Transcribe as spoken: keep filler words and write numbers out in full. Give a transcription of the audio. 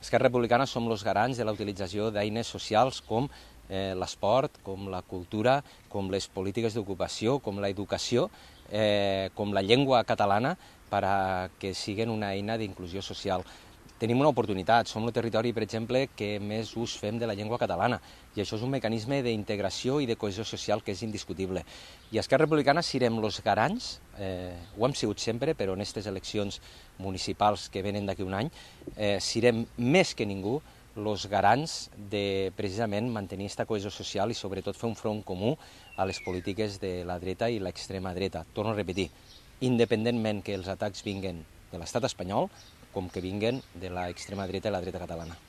Esquerra Republicana som els garants de la utilització d'eines socials com eh, l'esport, com la cultura, com les polítiques d'ocupació, com l'educació, eh, com la llengua catalana, per a que siguin una eina d'inclusió social. Tenim una oportunitat, som el territori, per exemple, que més ús fem de la llengua catalana, i això és un mecanisme d'integració i de cohesió social que és indiscutible. I a Esquerra Republicana serem els garants, eh, ho hem sigut sempre, però en aquestes eleccions municipals que venen d'aquí un any, eh, serem més que ningú els garants de precisament mantenir aquesta cohesió social i sobretot fer un front comú a les polítiques de la dreta i l'extrema dreta. Torno a repetir, independentment que els atacs vinguen de l'estat espanyol com que vinguen de l'extrema dreta i la dreta catalana.